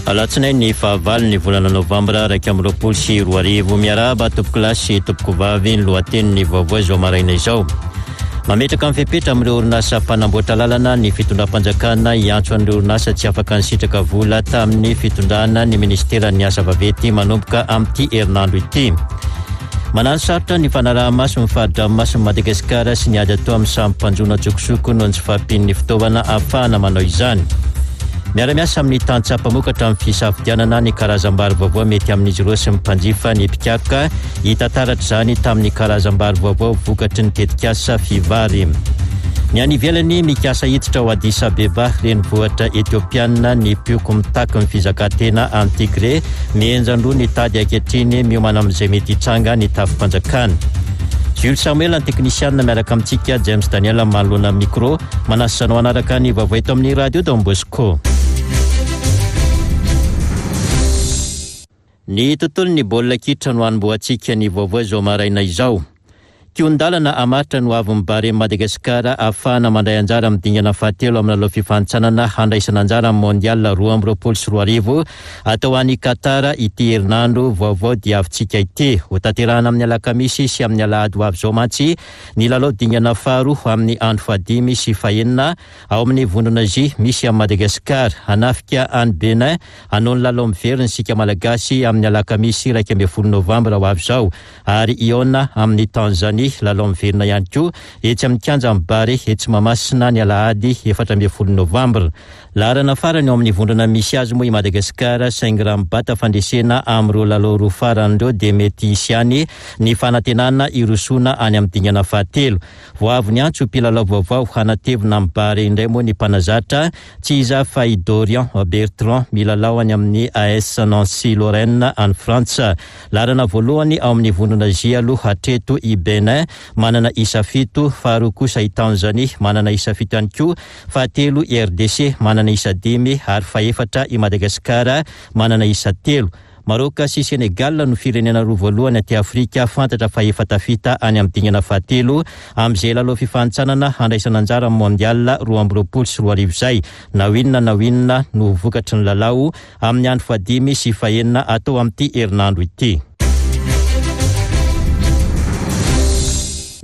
Alatsinainy fahavalo ny volana novambra 2021. Miarahaba tompokolahy sy tompokovavy ny lohatenin'ny vaovao izao maraina izao. Mametraka ny fepetra amin'ireo orinasa mpanamboatra lalana ny fitondram-panjakana hiantso an'ireo orinasa tsy afaka nisitraka vola tamin'ny fitondrana ny ministeran'ny asa vaventy manomboka amin'ity herinandro ity. Manano sarotra ny fanaraha-maso ny fari-dranomasin'i Madagasikara sy ny ady atao amin'ny samy mpanjono an-tsokosoko noho ny tsy fahampian'ny fitaovana ahafahana manao izany. Miara-miasa amin'ny tantsaha mpamokatra amin'ny fisafidianana ny karazam-bary vaovao mety amin'izy ireo sy ny mpanjifa ny mpikaroka. Hita taratra izany tamin'ny karazam-bary vaovao vokatry ny tetikasa Fivary. Ny any ivelany, mikasa hiditra ao Addis Abeba, renivohitra Etiopiana, ny mpioko mitaky ny fizakantena any Tigré. Mihenjan-droa ny tady ankehitriny, miomana amin'izay mety hitranga ny tafi-panjakana. Jules Samuel ny teknisianina miaraka amintsika, James Daniel manoloana ny micro. Manasa anao hanaraka ny vaovao eto amin'ny Radio Don Bosco. Ny tontolon'ny baolina kitra no hanombohantsika ny vaovao izao maraina izao. Kihon-dalana hamaritra ny hoavin'ny Barea Madagasikara ahafahana mandray anjara amin'ny dingana fahatelo amin'ny lalao fifanintsanana handraisana anjara amin'ny Mondial 2022 atao any Qatar ity herinandro vaovao diavintsika ity. Hotanterahana amin'ny alakamisy sy amin'ny alahady ho avy izao mantsy ny lalao dingana faharoa amin'ny andro fahadimy sy fahenina ao amin'ny vondrona J misy an'i Madagasikara. Hanafika an'i Benin hanao ny lalao miverina isika Malagasy amin'ny alakamisy 11 novambra ho avy izao ary hihaona amin'i Tanzanie, lalao miverina ihany koa etsy amin'ny kianjan'i Barea etsy Mahamasina ny alahady 14 novambra. Laharana farany ao amin'ny vondrona misy azy moa i Madagasikara saingy raha mibata fandresena amin'ireo lalao roa farany ireo dia mety hisy ihany ny fanantenana hirosoana any amin'ny dingana fahatelo. Vao avy niantso mpilalao vaovao hanatevina amin'ny Barea indray moa ny mpanazatra, tsy iza fa i Dorian Bertrand milalao any amin'ny AS Nancy Lorraine any Frantsa. Laharana voalohany ao amin'ny vondrona J aloha hatreto i Benin, manana isa fito, faharoa kosa i Tanzanie, manana isa fito ihany koa, fahatelo i RDC, manana isa dimy ary fahefatra i Madagasikara, manana isa telo. Maroc sy Sénégal no firenena roa voalohany aty Afrika fantatra fa efa tafita any amin'ny dingana fahatelo amin'izay lalao fifanintsanana handraisana anjara amin'ny Mondial 2022 izay. Na ho inona na ho inona no ho vokatry ny lalao amin'ny andro fahadimy sy fahenina atao amin'ity herinandro ity.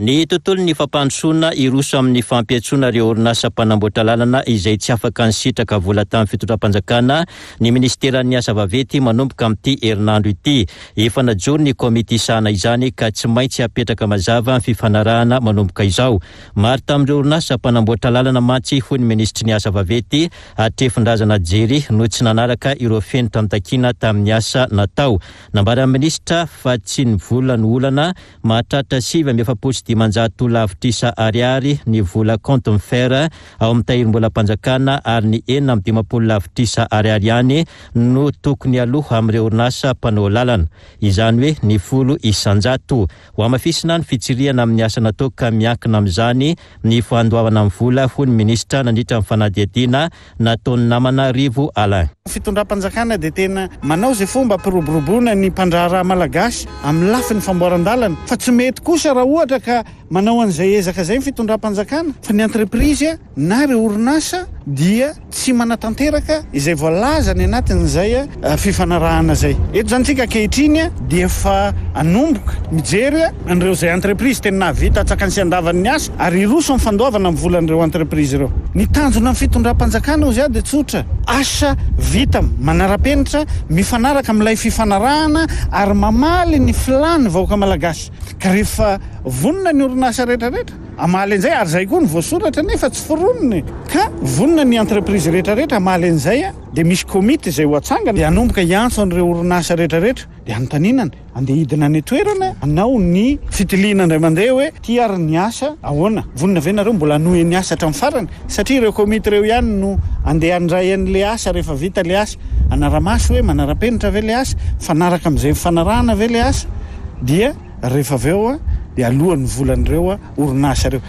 Ny tontolon'ny fampandrosoana hiroso amin'ny fampiantsoana ireo orinasa mpanamboatra lalana izay tsy afaka nisitraka vola tamin'ny fitondram-panjakana ny minisiteran'ny asa vaventy manomboka amin'ity herinandro ity. Efa najoro ny komity hisahana izany ka tsy maintsy hapetraka mazava ny fifanarahana manomboka izao. Maro tamin'ireo orinasa mpanamboatra lalana mantsy hoy ny minisitry ny asa vaventy Hatrefindrazana Jerry no tsy nanaraka ireo fenitra notakiana tamin'ny asa natao. Nambaran'ny minisitra fa tsy ny vola no olana, mahatratra 549 lavitrisa ariary ny vola compte Mfer ao amin'ny tahirim-bolam-panjakana ary ny 56 lavitrisa ariary ihany no tokony aloa amin'ireo orinasa mpanao lalana, izany hoe ny 10%. Hohamafisina ny fitsirihana amin'ny asa natao ka miankina amin'izany ny fandoavana ny vola, hoy ny minisitra nandritra ny fanadihadiana nataon'ny namana Rivo Alain. Ny fitondram-panjakana dia tena manao izay fomba hampiroboroboana ny mpandraharaha malagasy amin'ny lafiny famboaran-dalana fa tsy mety kosa raha ohatra ka manao an'izay ezaka izay ny fitondram-panjakana fa ny entreprise na ireo orinasa dia tsy manatanteraka izay voalaza any anatin'izay fifanarahana izay. Eto izany isika ankehitriny dia efa hanomboka mijery an'ireo izay entreprise tena nahavita antsakany sy andavany ny asa ary hiroso amin'ny fandoavana ny volan'ireo entreprise ireo. Ny tanjona amin'ny fitondram-panjakana hozy aho dia tsotra, asa vita manara-penitra, mifanaraka amin'ilay fifanarahana ary mamaly ny filàn'ny vahoaka malagasy. Ka rehefa vonona ny orinasa rehetrarehetra, Hamaly an'izay, ary izay koa no voasoratra nefa tsy foronina e! Ka vonona ny entreprise rehetra rehetra hamaly an'izay dia misy komity izay ho atsangana dia hanomboka hiantso an'ireo orinasa rehetra rehetra dia hanontaniana andeha hidina any an-toerana hanao ny fitiliana indray mandeha hoe ity ary ny asa ahoana? Vonona ve nareo mbola hanohy ny asa hatramin'ny farany? Satria ireo komity ireo ihany no andeha handray an'ilay asa rehefa vita ilay asa, hanara-maso hoe manara-penitra ve ilay asa, mifanaraka amin'izay nifanarahana ve ilay asa dia. Rehefa avy eo dia aloha ny volan'ireo orinasa ireo.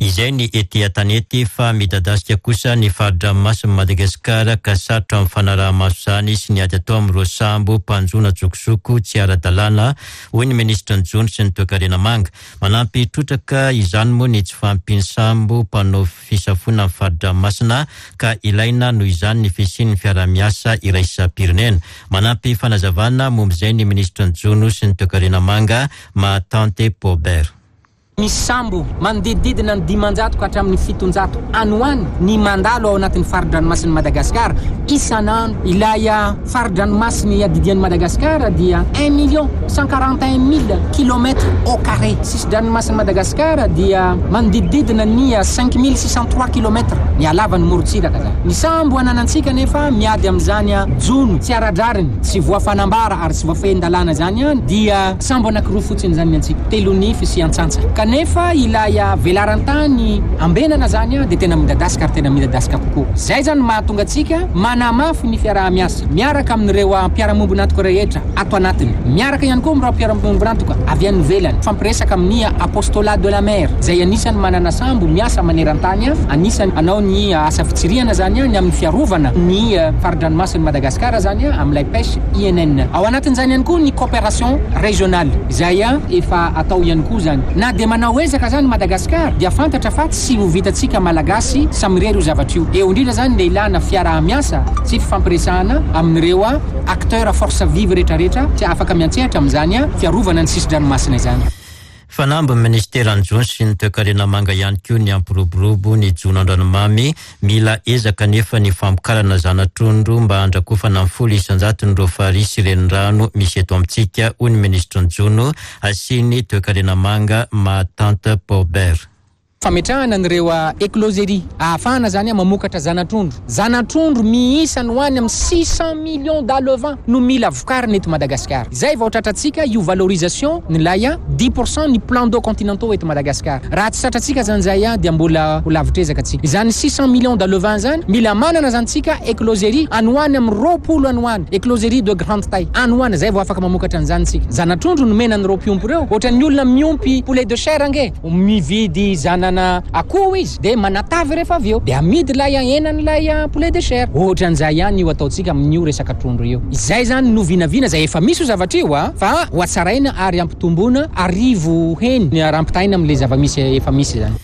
Izay ny ety an-tanety fa midadasika kosa ny fari-dranomasin'i Madagasikara ka sarotra amin'ny fanaraha-maso izany sy ny ady atao amin'ireo sambo mpanjono an-tsokosoko tsy ara-dalàna, hoy ny minisitry ny Jono sy ny Toekarena Manga. Manampy trotraka izany moa ny tsy fahampian'ny sambo mpanao fisafoana ny fari-dranomasina ka ilaina noho izany ny fisian'ny fiaraha-miasa iraisam-pirenena. Manampy fanazavana momba izay ny minisitry ny Jono sy ny Toekarena Manga, Mahatante Paubert. Misy sambo manodidididina ny 500 ka hatramin'ny 700 any ho any ny mandalo ao anatin'ny fari-dranomasin'i Madagasikara isan'andro. Ilay fari-dranomasina iadidian'i Madagasikara dia un million cent quarante un mille kilomètres au carré. Sisi-dranomasin'i Madagasikara dia manodidididina ny 5603 kilomètres ny halavan'ny morontsiraka izany. Ny sambo ananantsika anefa miady amin'izany jono tsy ara-drariny, tsy voafanambara ary tsy voafehin-dalàna izany dia sambo anankiroa fotsiny izany ny antsika, Telonify sy Antsantsa. Kanefa ilay velaran-tany ambenana izany dia tena midadasika ary tena midadasika kokoa. Izay izany no mahatonga antsika manamafy ny fiaraha-miasa miaraka amin'ireo mpiara-miombon'antoka rehetra ato anatiny, miaraka ihany koa amin'ireo mpiara-miombon'antoka avy any ivelany, mifampiresaka amin'ny Apostolat de la Mer izay anisan'ny manana sambo miasa maneran-tany, anisan'ny hanao ny asa fitsirihana izany ny amin'ny fiarovana ny fari-dranomasin'i Madagasikara izany amin'ilay pêche INN. Ao anatin'izany ihany koa ny coopération régionale izay efa atao ihany koa izany. Na dia manao ezaka izany Madagascar dia fantatra fa tsy ho vitantsika Malagasy samirery io zavatra io. Eo indrindra izany le ilana fiaraha-miasa sy fifampiresahana amin'ireo acteurs force vive rehetrarehetra tsy afaka miantsehatra amin'izany fiarovana ny sisi-dranomasina izany. Fanamby ny minisiteran'ny Jono sy ny Toekarena Manga ihany koa ny hampiroborobo ny jono an-dranomamy. Mila ezaka anefa ny famokarana zana-trondro mba handrakofana ny 10 isan-jaton'ireo farihy sy renirano misy eto amintsika, hoy ny minisitry ny Jono sy ny Toekarena Manga, Mahatante Paubert. Fametrahana an'ireo écloseries ahafahana izany mamokatra zana-trondro. Zana-trondro miisa any ho any amin'ny 600 millions d'alevins no mila vokarina eto Madagasikara. Izay vao tratrantsika io valorisation n'ilay 10% ny plans d'eau continentaux eto Madagasikara. Raha tsy tratrantsika izany izay dia mbola ho lavitr'ezaka tsika. Izany 600 millions d'alevins izany, mila manana izany tsika écloserie any ho any amin'ny 20 any ho any, écloserie de grande taille any ho any, izay vao afaka mamokatra an'izany tsika. Zana-trondro nomena an'ireo mpiompy ireo, ohatran'ny olona miompy poulet de chair ange. Mividy zanana akoho izy dia manatavy rehefa avy eo dia amidy ilay henan'ilay poulet de chair. Ohatran'izay ihany io ataontsika amin'io resaka trondro io. Izay izany no vinavina izay efa misy io zavatra io fa ho hatsaraina ary hampitomboina arivo heny raha ampitahaina amin'ilay zava-misy efa misy izany.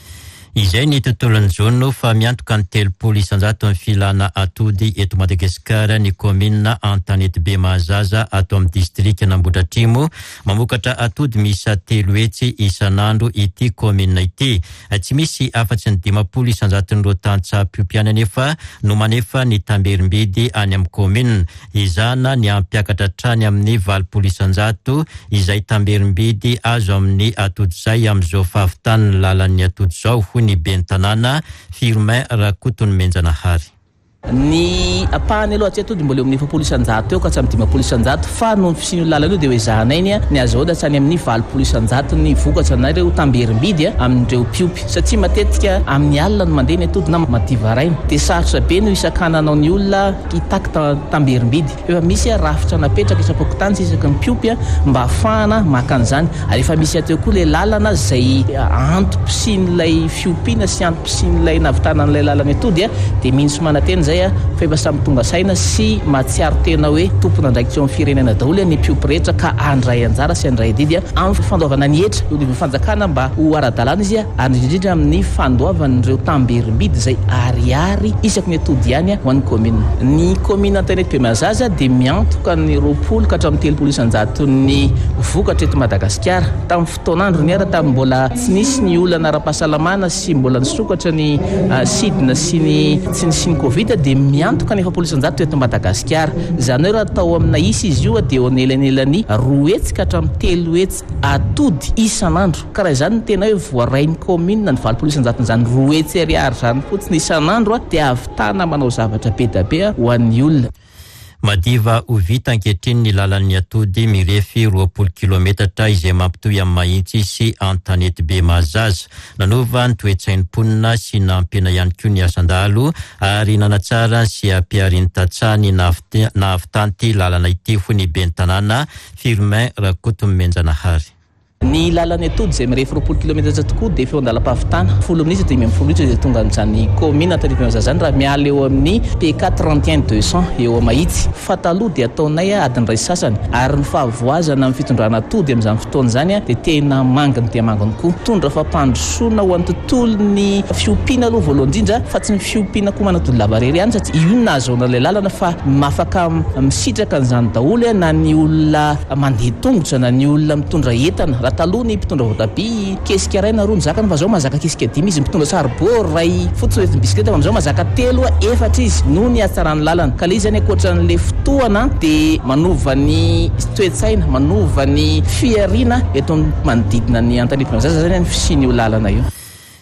Izay ny tontolon'ny jono fa miantoka ny 30 isan-jaton'ny filana atody eto Madagasikara ny kaominina Antanetibe Mahazaza ato amin'ny distrikan'Ambohidratrimo. Mamokatra atody miisa 300 isan'andro ity kaominina ity. Tsy misy afa-tsy ny 50 isan-jaton'ireo tantsaha mpiompy ihany anefa no manefa ny tamberim-bidy any amin'ny kaominina. Ezahana ny hampiakatra hatrany amin'ny 80 isan-jato izay tamberim-bidy azo amin'ny atody izay amin'izao fahavitan'ny lalan'ny atody izao, hoy ny ben'ny tanàna, Firmin Rakotonomenjanahary. Ny ampahany aloha hatreto dia mbola eo amin'ny 40% eo ka hatramin'ny 50% fa noho ny fisian'io lalana io dia ho ezahanay ny ny azahoana hatrany amin'ny 80% ny vokatra na ireo tamberim-bidy amin'ireo mpiompy satria matetika amin'ny alina no mandeha ny atody na madiva haraina dia sarotra be no hisakananao ny olona hitaky tamberim-bidy. Efa misy rafitra napetraka isam-pokontany sy isaky ny mpiompy mba hahafahana maka an'izany ary efa misy hatreo koa ilay lalana izay antom-pisian'ilay fiompiana sy antom-pisian'ilay nahavitana an'ilay lalana atody dia mino sy manantena izay fa efa samy tonga saina sy mahatsiaro tena hoe tompon'andraikitra eo amin'ny firenena daholo ny mpiompy rehetra ka handray anjara sy handray adidy amin'ny fandoavana ny hetra eo anivon'ny fanjakana mba ho ara-dalàna izy ary indrindra indrindra amin'ny fandoavan'ireo tamberim-bidy izay ariary isaky ny atody ihany ho an'ny kaominina. Ny kaominina Antanety Bemazaza dia miantoka ny 20 ka hatramin'ny 30 isan-jaton'ny vokatra eto Madagasikara. Tamin'ny fotoan'androny ary tamin'ny mbola tsy nisy ny olana ara-pahasalamana sy mbola nisokatra ny sidina sy ny tsy nisian'ny Covid dia miantoka ny 40% eto Madagasikara. Izany hoe raha atao amina isa izy io dia eo anelanelan'ny 200 ka hatramin'ny 300 atody isan'andro. Ka raha izany no tena hoe voarain'ny kaominina ny 80 isan-jaton'izany 200 ariary izany fotsiny isan'andro dia ahavitana manao zavatra be dia be ho an'ny olona. Madiva ho vita ankehitriny ny lalan'ny atody mirefy 20 kilometatra izay mampitohy amin'i Mahitsy sy Antanetibe Mahazaza. Nanova ny toe-tsain'ny mponina sy nampihena ihany koa ny asan-dahalo ary nanatsara sy hampiharin'ny tantsaha ny nahavitan'ity lalana ity, hoy ny ben'ny tanàna, Firmin Rakotonomenjanahary. Ny lalan'ny atody izay mirefy 20 kilometatra tokoa dia efa eo an-dalam-pahavitana. Folo minitra, 15 minitra dia tonga amin'izany kaominina Antanimpiandraza izany raha miala eo amin'ny PK 31 200 eo Mahitsy. Fa taloha dia ataonay adiny iray sy sasany ary ny fahavoazana amin'ny fitondrana atody amin'izany fotoana izany dia tena manginy dia manginy koa. Mitondra fampandrosoana ho an'ny tontolon'ny fiompiana aloha voalohany indrindra fa tsy ny fiompiana akoho manatody lava irery ihany satria io no nahazoana ilay lalana fa afaka misitraka an'izany daholo na ny olona mandeha tongotra na ny olona mitondra entana. Raha taloha ny mpitondra voatabia kesika iray na roa no zakany fa zao mahazaka kesika dimy izy. Mitondra saribô iray fotsiny hoentin'ny bisikileta fa amizao mahazaka telo efatra izy noho ny hatsaran'ny lalana. Ka le izy zany ankoatran'le fotoana dia manova ny toe-tsaina, manova ny fihariana eto amin'ny manodidina ny Antanimpiandraza zany ny fisian'io lalana io.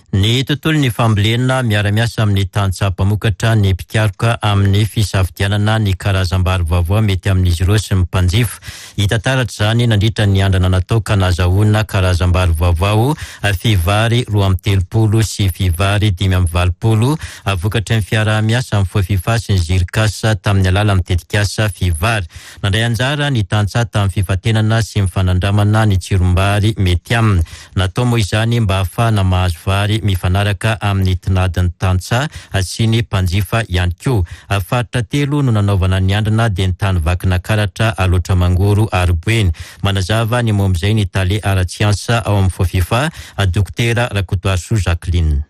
Ny tontolon'ny fambolena, miara-miasa amin'ny tantsaha mpamokatra ny mpikaroka amin'ny fisafidianana ny karazam-bary vaovao mety amin'izy ireo sy ny mpanjifa. Hita taratra izany nandritra ny andrana natao ka nahazahoana karazam-bary vaovao Fivary 32 sy Fivary 85 vokatry ny fiaraha-miasa amin'ny Fofifa sy ny Zircas tamin'ny alalan'ny tetikasa Fivary. Nandray anjara ny tantsaha tamin'ny fifantenana sy ny fanandramana ny tsirom-bary mety aminy. Natao moa izany mba hahafahana mahazo vary mifanaraka amin'ny tinadin'ny tantsaha sy ny mpanjifa ihany koa. Faritra telo no nanaovana ny andrana dia ny tany Vakinakaratra, Alaotra Mangoro ary Boeny. Manazava ny momba izay ny tale ara-tsiansa ao amin'ny Fofifa, Dokotera Rakotoarisoa Jacqueline.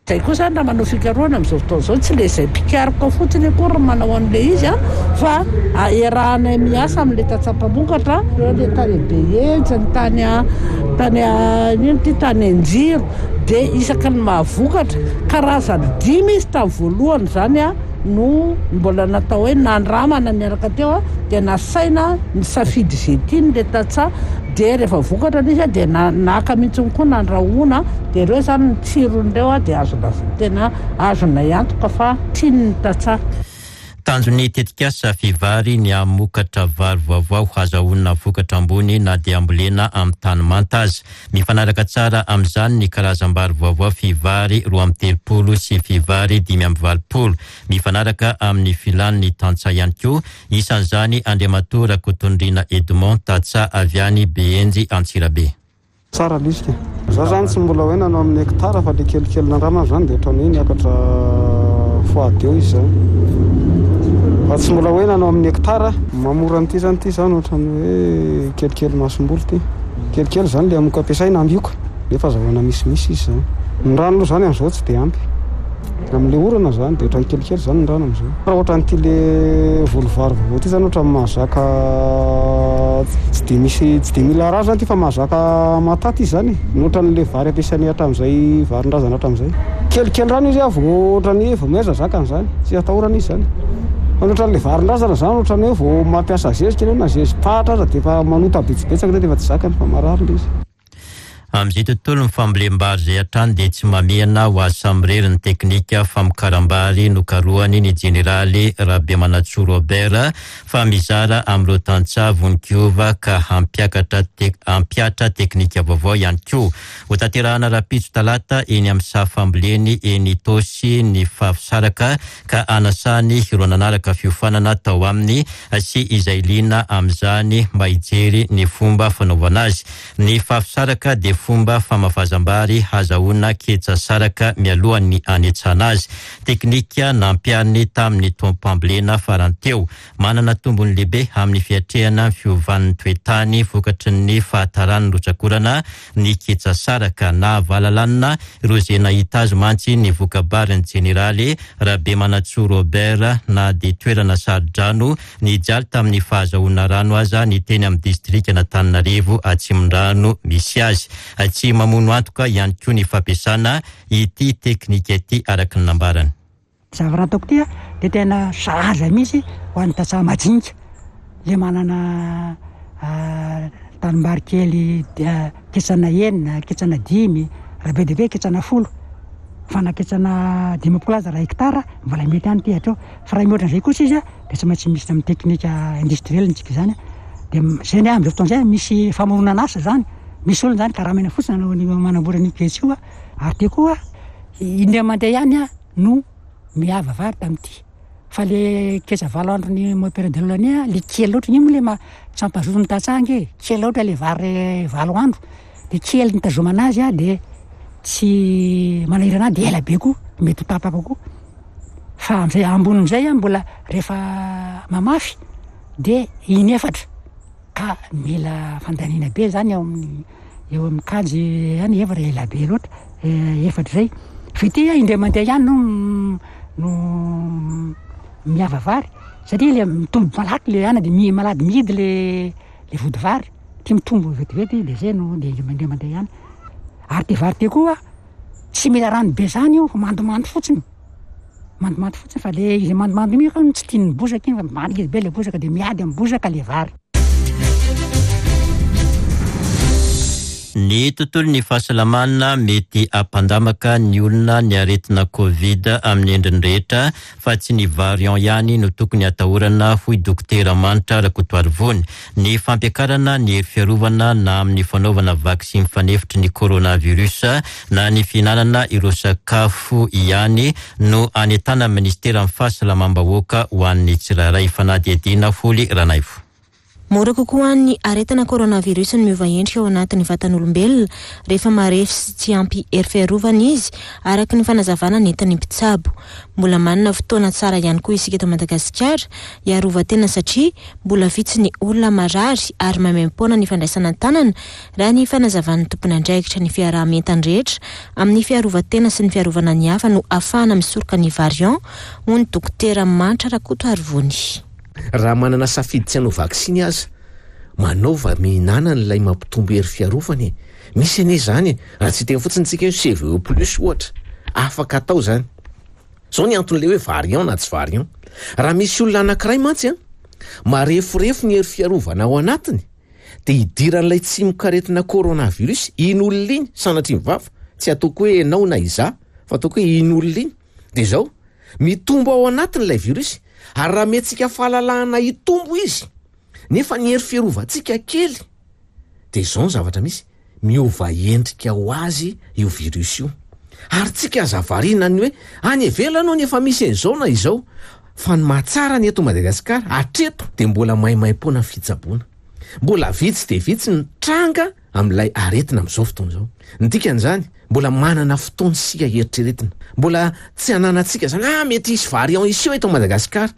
Izay koa izany raha manao fikarohana amin'izao fotoana izao, tsy ilay izay mpikaroka fotsiny akory no manao an'ilay izy fa iarahanay miasa amin'ilay tantsaha mpamokatra, ireo ilay tany Behenjy, ny tany tany inona ity, tany Anjiro, dia isaky ny mahavokatra, karazany dimy izy tamin'ny voalohany izany no mbola natao hoe nandramana niaraka teo dia nasaina nisafidy izay tiany ilay tantsaha. Dia rehefa vokatra ilay izy dia naka mihitsy koa nandrahoana dia ireo izany ny tsiron'ireo dia azo lazaina tena azonay antoka fa tian'ny tantsaha. Tanjon'ny tetikasa Fivary ny hamokatra vary vaovao hazahoana vokatra ambony na dia ambolena amin'ny tany manta aza. Mifanaraka tsara amin'izany ny karazam-bary vaovao Fivary 32 sy Fivary 85. Mifanaraka amin'ny filan'ny tantsaha ihany koa, isan'izany Andriamatoa Rakotondriana Edmond, tantsaha avy any Behenjy Antsirabe. Tsara ilay izy ka. Za zany tsy mbola hoe nanao amin'ny hectare fa le kelikely nandramana zany dia ohatran'ny hoe niakatra fois deux izy zany. Fa tsy mbola hoe nanao amin'ny hectare. Mahamora an'ity zany ity zany ohatran'ny hoe kelikely masomboly ity. Kelikely zany le hamoka ampiasaina ambioka nefa azahoana misimisy izy zany. Ny rano aloha zany amin'izao tsy dia ampy. Amin'ilay orana izany dia ohatran'ny kelikely izany ny rano amin'izao. Raha ohatran'ity le voly vary vaovao ity izany ohatran'ny mahazaka tsy dia misy tsy dia mila rano izany ity fa mahazaka mataty izy izany e. Ny ohatran'ilay vary ampiasainay hatramin'izay varin-drazana hatramin'izay. Kelikely rano izy vao ohatran'ny hoe vao mihaza zakany izany, tsy atahorana izy izany. Fa ny ohatran'ilay varin-drazana izany ohatran'ny hoe vao mampiasa zezika ianao na zezi-pahatra aza dia efa manota betsabetsaka dia efa tsy zakany fa marary ilay izy. Amin'izay tontolon'ny fambolem-bary izay hatrany dia tsy mamehana ho azy samirery ny teknika famokaram-bary nokarohany ny jeneraly Rabemanantsoa Robert fa mizara amin'ireo tantsaha vonon-kiova ka hampiakatra hampihatra teknika vaovao ihany koa. Hotanterahana rahampitso talata eny amin'ny saha famboleny eny Itaosy ny Fafisaraka ka hanasany ireo nanaraka fiofanana tao aminy sy izay liana amin'izany mba hijery ny fomba fanaovana azy. Ny fafisaraka dia fomba famafazam-bary hazahoana ketsa saraka mialohan'ny hanetsana azy. Teknika nampihariny tamin'ny taom-pambolena farany teo. Manana tombony lehibe amin'ny fiatrehana ny fiovan'ny toe-tany vokatry ny fahataran'ny rotsak'orana ny ketsa saraka. Nahavalalanina ireo izay nahita azy mantsy ny voka-barin'ny jeneraly Rabemanantsoa Robert na dia toerana saro-drano Nijaly tamin'ny fahazahoana rano aza ny teny amin'ny distrikan'Antananarivo Atsimondrano misy azy. Tsy mamono antoka ihany koa ny fampiasana ity teknika ity araka ny nambarany. Ny zavatra ataoko ity dia tena sahaza mihitsy ho an'ny tantsaha majinika le manana tanimbary kely ketsana enina, ketsana dimy, raha be dia be ketsana folo, fa na ketsana 50 aza raha hectare mbola mety ihany ity hatreo. Fa raha mihoatra an'izay kosa izy dia tsy maintsy misy amin'ny teknika industriel ny tsika izany. Dia izay ny ahy amin'izao fotoana izay misy famoronana asa izany. Misy olona izany karamaina fotsiny hanao an'io manamboatra an'io pejy io. Ary dia koa indray mandeha ihany aho no miava vary tamin'ity. Fa le ketsa valo andron'ny mois période de l'année le kely loatra iny moa le tsy mampazoto ny tantsaha ange e. Kely loatra le vary valo andro. de kely nitazomana azy a de tsy manahirana ahy de ela be koa mety ho tapaka koa fa am'izay ambonin'izay a mbola rehefa mamafy de inefatra ka mila fandaniana be zany eo amin'ny eo amin'ny kajy any efatra ela be loatra efatra zay fa ity a indray mandeha ihany no no miava vary satria le mitombo malaky le ana de mi- malady mihidy le le vody vary ty mitombo vetivety de zay no de indray mandeha ihany ary ty vary ty koa tsy mila rano be zany io fa mandomando fotsiny mandomando fotsiny fa le izy mandomando iny ka tsy tian'ny bozaka iny fa maniry be le bozaka de miady amin'ny bozaka le vary. Ny tontolon'ny fahasalamana mety hampandamaka ny olona ny aretina Covid amin'ny endriny rehetra fa tsy ny variant ihany no tokony atahorana hoy Dokotera Manitra Rakotoarivony. Ny fampiakarana ny hery fiarovana na amin'ny fanaovana vaksiny fanefitry ny coronavirus na ny fihinanana ireo sakafo ihany no anentanan'ny minisiteran'ny fahasalamam-bahoaka ho an'ny tsirairay. Fanadihadiana Holy Ranaivo. Mora kokoa ny aretina coronavirus ny miova endrika ao anatin'ny vatan'olombelona rehefa marefo sy tsy ampy hery fiarovana izy, araka ny fanazavana nentin'ny mpitsabo. Mbola manana fotoana tsara ihany koa isika eto Madagasikara hiarovan-tena satria mbola vitsy ny olona marary ary maimaim-poana ny fandraisana an-tanana raha ny fanazavan'ny tompon'andraikitra ny fiaraha-mientana rehetra amin'ny fiarovan-tena sy ny fiarovana ny hafa no ahafahana misoroka ny variant, hoy ny dokotera Mantra Rakotoarivony. Raha manana safidy tsy hanao vaksiny aza, manaova mihinana an'ilay mampitombo hery fiarovana e! Misy anie izany e! Raha tsy hiteny fotsiny tsika hoe CVE plus ohatra, afaka atao izany. Izao ny anton'ilay hoe variant na tsy variant. Raha misy olona anankiray mantsy an, mareforefo ny hery fiarovana ao anatiny, dia idiran'ilay tsimokaretina coronavirus iny olona iny, sanatria ny vava, tsy ataoko hoe ianao na izaho, fa ataoko hoe iny olona iny, dia izao, mitombo ao anatiny ilay virus, ary raha omentsika fahalalahana hitombo izy, nefa ny hery fiarovantsika kely, dia izao ny zavatra misy, miova endrika ho azy io virus io. Ary tsika aza variana ny hoe any ivelany hono efa misy an'izao na izao, fa ny mahatsara ny eto Madagasikara hatreto dia mbola maimaimpoana ny fitsaboana. Mbola vitsy dia vitsy ny tranga amin'ilay aretina amin'izao fotoana izao. Ny dikan'izany, mbola manana fotoana isika hieritreretina. Mbola tsy ananantsika izany, ah mety hisy variant hiseho eto Madagasikara.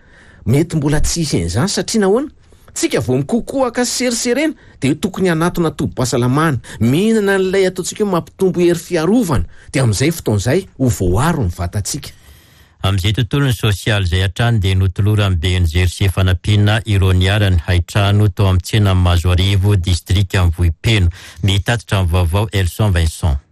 Mety mbola tsy hisy an'izany satria nahoana? Tsika vao mikokoaka sy seriserena dia tokony hanatona tobim-pahasalamana, mihinana an'ilay ataontsika hoe mampitombo hery fiarovana, dia amin'izay fotoana izay ho voaaro ny vatantsika. Amin'izay tontolon'ny sosialy izay hatrany dia notoloran'ny BNGRC fanampiana ireo niharan'ny haintrano tao amin'ny tsenan'i Mahazoarivo, distrikan'i Vohipeno. Mitatitra ny vaovao Elson Vincent.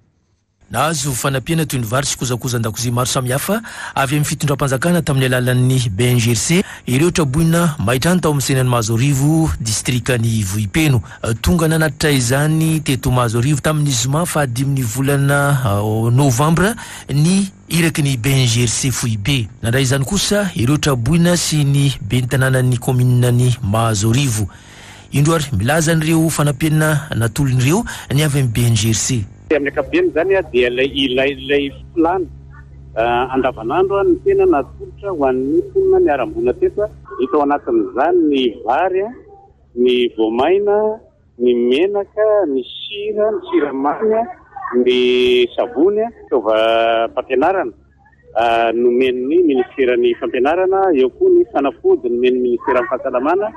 Nahazo fanampiana toy ny vary sy kojakoja an-dakozia maro samihafa avy amin'ny fitondram-panjakana tamin'ny alalan'ny BNGRC ireo traboina may trano tao amin'ny tsenan'i Mahazoarivo, distrikan'i Vohipeno. Tonga nanatitra izany teto Mahazoarivo tamin'ny zoma fahadimin'ny volana novambra ny Iraky ny BNGRC foibe. Nandray izany kosa ireo traboina sy ny ben'ny tanànan'ny kaomininan'i Mahazoarivo. Indro ary milaza an'ireo fanampiana natolony ireo ny avy amin'ny BNGRC. Amin'ny ankapobeny izany dia ilay ilay ilay filàna andavanandro no tena natolotra ho an'ny mponina niharam-boina teto. Hita ao anatin'izany ny vary, ny voamaina, ny menaka, ny sira, ny siramamy, ny savony, fitaovam-pampianarana nomen'ny Ministeran'ny Fampianarana, eo koa ny fanafody nomen'ny Ministeran'ny Fahasalamana.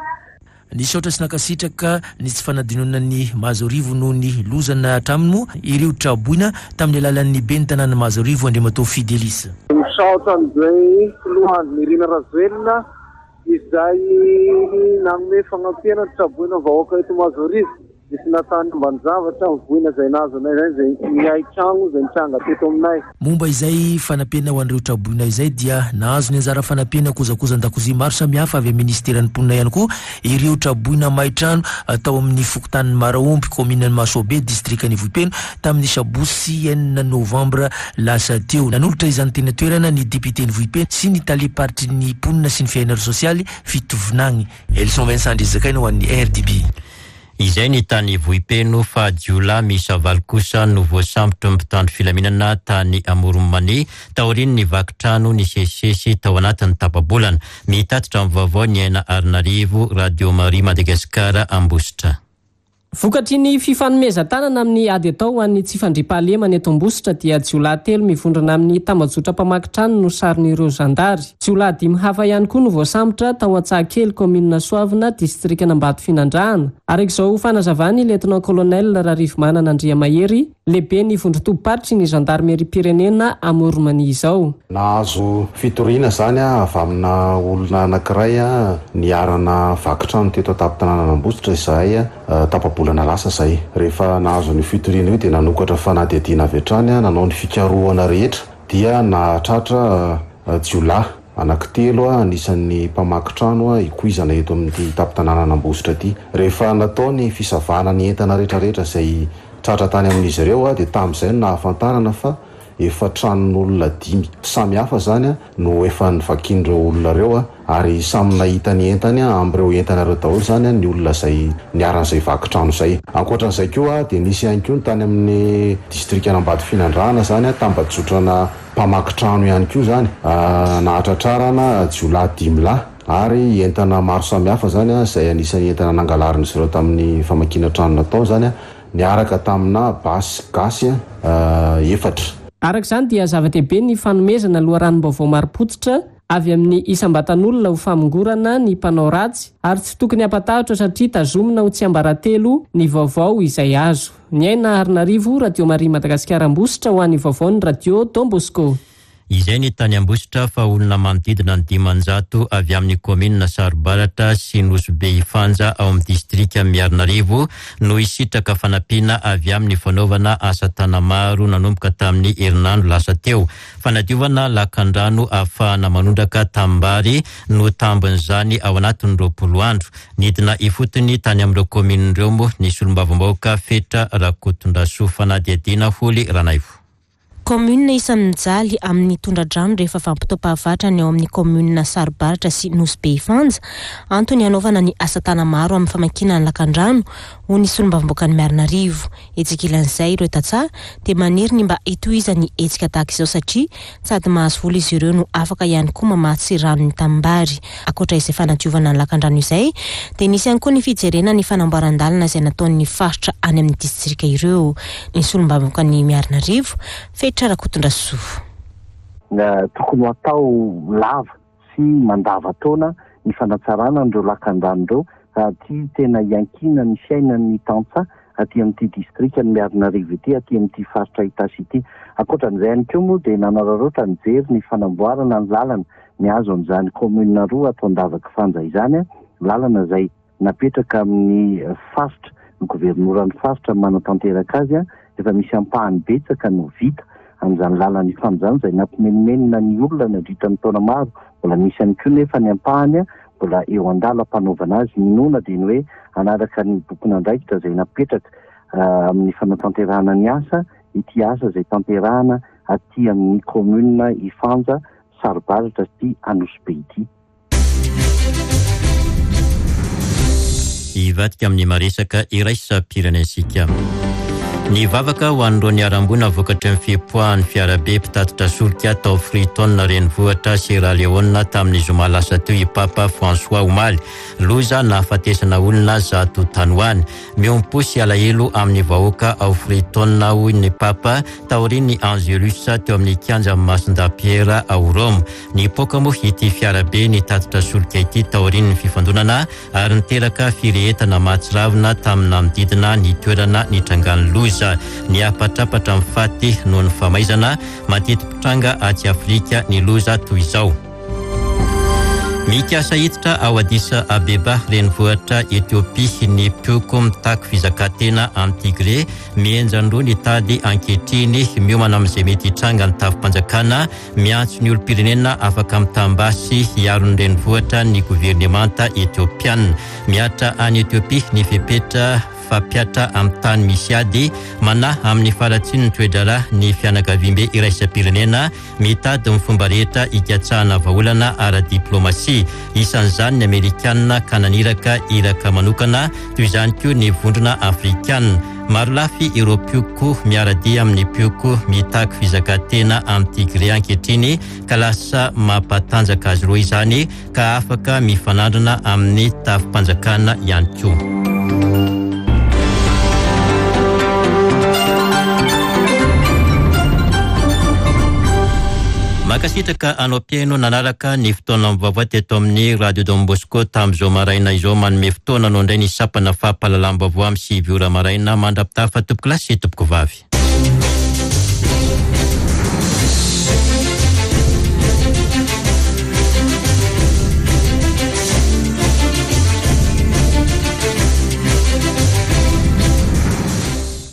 Nisaotra sy nankasitraka ny tsy fanadinoana an'i Mahazoarivo noho ny loza nahatra aminy moa ireo tra-boina tamin'ny alalan'ny ben'ny tanàn'i Mahazoarivo Andriamatoa Fidelis. Misaotra an'izay Filoha Andry Nirina Rajoelina izay nanome fagnampiana ny traboina vahoaka eto Mahazoarivo. Nisy natany ambanin-javatra ny voina izay nahazo anay izay, izay ny hain-tragno izay nitranga teto aminay. Momba izay fanampiana ho an'ireo traboina izay dia nahazo ny anjara fanampiana kojakojan-dakozia maro samihafa avy amin'ny Minisiteran'ny Mponina ihany koa ireo traboina may trano tao amin'ny fokontanin'i Maraomby, kaominin'i Mahasoabe, distrikan'i Vohipeno, tamin'ny sabotsy enina novambra lasa teo. Nanolotra izany teny an-toerana ny depioten'i Vohipeno sy ny talem-paritry ny mponina sy ny fiainana sosialy Fitovinagny. Elson Vincent Andrizakaina ho an'ny RDB. Izay ny tany Vohipeno fa jiolahy miisa valo kosa no voasambotry ny mpitandro filaminana tany Amoron'i Mania taorian'ny vaky trano nisesisesy tao anatin'ny tapa-bolana. Mitatitra ny vaovao ny Aina Arinarivo, Radio Maria Madagasikara, Ambositra. Vokatry ny fifanomezan-tanana amin'ny ady atao ho an'ny tsy fandriampahalemana eto Ambositra dia jiolahy telo mivondrona amin'ny tambajotra mpamaky trano no saron'ireo zandary. Jiolahy dimy hafa ihany koa no voasambotra tao Antsahakely, kaominina Soavina, distrikan'Ambatofinandrahana. Araka izao fanazavan'ny Lieutenant Colonel Rarivomanana Andriamahery, Lehiben'ny vondron-tobim-paritry ny zandarimeriam-pirenena Amoron'i izao. Nahazo fitoriana izany avy amina olona anankiray niharana vaky trano teto an-tampon-tanànan'Ambositra izahay tapa-bolana lasa izay. Rehefa nahazo an'io fitoriana io dia nanokatra fanadihadiana avy hatrany, nanao ny fikarohana rehetra dia nahatratra jiolahy anankitelo anisan'ny mpamaky trano ikoizana eto amin'ity tampon-tanànan'Ambositra ity. Rehefa natao ny fisavana ny entana rehetrarehetra izay Tratra tany amin'izy ireo dia tamin'izay no nahafantarana fa efa tranon'olona dimy samy hafa izany no efa novakian'ireo olona ireo ary samy nahita ny entany amin'ireo entana ireo daholo izany ny olona izay niharan'izay vaky trano izay. Ankoatra an'izay koa dia nisy ihany koa ny tany amin'ny distrikan'Ambatofinandrahana izany tambajotrana mpamaky trano ihany koa izany nahatratrarana jiolahy dimy lahy. Ary entana maro samihafa izany izay anisan'ny entana nangalarin'izy ireo tamin'ny famakiana trano natao izany niaraka tamina basy gasy efatra. Araka izany dia zava-dehibe ny fanomezana loharanom-baovao marim-pototra avy amin'ny isam-batan'olona ho famongorana ny mpanao ratsy ary tsy tokony hampatahotra satria tazomina ho tsiambaratelo ny vaovao izay azo. Niaina Harinarivo, Radio Maria Madagasikara Ambositra ho an'ny vaovaon'ny Radio Don Bosco. Izay ny tany Ambositra fa olona manodidina ny 500 avy amin'ny kaominina Sarobaratra sy Nosy Be Ifanja ao amin'ny distrikan'i Miarinarivo no hisitraka fanampiana avy amin'ny fanaovana asa tanamaro nanomboka tamin'ny herinandro lasa teo. Fanadiovana lakandrano ahafahana manondraka tanimbary no tambin'izany ao anatin'ny 20 andro. Nidina ifotony tany amin'ireo kaominina ireo moa ny solombavambahoaka Fetra Rakotondrasoa. Fanadihadiana Holy Ranaivo. Kaominina isan'ny mijaly amin'ny tondra-drano rehefa vanim-potoam-pahavatra ny ao amin'ny kaominina Sarobaratra sy Nosy Be Ifanja. Antony hanaovana ny asa tana-maro amin'ny famakiana ny lakandrano, hoy ny solombavambahoakan'i Miarinarivo. Etsy ankilan'izay, ireo tantsaha dia maniry ny mba hitohizan'ny hetsika tahaka izao satria sady mahazo vola izy ireo no afaka ihany koa mamatsy rano ny tanimbary. Ankoatra izay fanadiovana ny lakandrano izay dia nisy ihany koa ny fijerena ny fanamboaran-dalana izay nataon'ny faritra any amin'ny distrika ireo. Ny solombavambahoakan'i Miarinarivo, Fetra Rakotondrasoa. Tokony ho atao lava sy mandavan-taona ny fanatsarana an'ireo lakandrano ireo raha ity tena iankinan'ny fiainan'ny tantsaha aty amin'ity distrikan'i Miarinarivo ity, aty amin'ity faritra Itasy ity. Ankoatra an'izay ihany koa moa dia nanararaotra nijery ny fanamboarana ny lalana mihazo an'izany kaominina roa ato Andavakifanja izany, lalana izay napetraka amin'ny faritra, ny governoran'ny faritra manatanteraka azy, efa misy ampahany betsaka no vita amin'izany lalan'ny Ifanja izay nampimenomenona ny olona nandritra ny taona maro, mbola misy ihany koa nefa ny ampahany mbola eo an-dalam-panaovana azy, ny inoana dia ny hoe hanaraka ny bokin'andraikitra izay napetraka amin'ny fanatanterahana ny asa ity asa izay tanterahana aty amin'ny commune Ifanja, Sarobaratra sy Anosibe ity. Hivadika amin'ny maresaka iraisam-pirenentsika. Ny vavaka ho an'ireo niharam-boina vokatry ny fipoahan'ny fiarabe mpitatitra solika tao Freetown renivohitra Sierra Leone tamin'ny zoma lasa teo i Papa François omaly. Loza nahafatesana olona zato tany ho any. Miombom-po sy alahelo amin'ny vahoaka ao Freetown hoy ny Papa taorian'ny Angelus teo amin'ny kianjan'i Masindahy Pierre ao Roma. Nipoaka moa ity fiarabe nitatitra solika ity taorian'ny fifandonana ary niteraka firehetana mahatsiravina tamin'ny nanodidina ny toerana nitrangan'ny loza. Niapatrapatra ny faty noho ny famaizana mateti-pitranga atsy Afrika ny loza toy izao. Mikasa hiditra ao Addis Abeba, renivohitra Etiopia, ny mpihoko mitaky fizakantena any Tigré. Mihenjan-droa ny tady ankehitriny, miomana amin'izay mety hitranga ny tafi-panjakana. Miantso ny olom-pirenena afaka mitam-basy hiaro ny renivohitra ny governemanta Etiopiana. Mihatra any Etiopia ny fepetra fampihatra amin'ny tany misy ady. Manahy amin'ny faharatsian'ny toe-draharaha ny fianakaviambe iraisam-pirenena mitady ny fomba rehetra hikatsahana vahaolana ara-diplaomasia. Isan'izany ny Amerikana ka naniraka iraka manokana, toy izany koa ny Vondrona Afrikana. Marolafy ireo mpioko miara-dia amin'ny mpioko mitaky fizakantena amin'i Tigré ankehitriny ka lasa mampatanjaka azy ireo izany ka afaka mifanandrina amin'ny tafi-panjakana ihany koa. Mankasitraka anao mpihaino nanaraka ny fotoana vaovao teto amin'ny Radio Don Bosco tamin'izao maraina izao. Manome fotoana anao indray ny sampana fampahalalam-baovao amin'ny 9 ora maraina. Mandra-pitafa tompokolahy sy tompokovavy.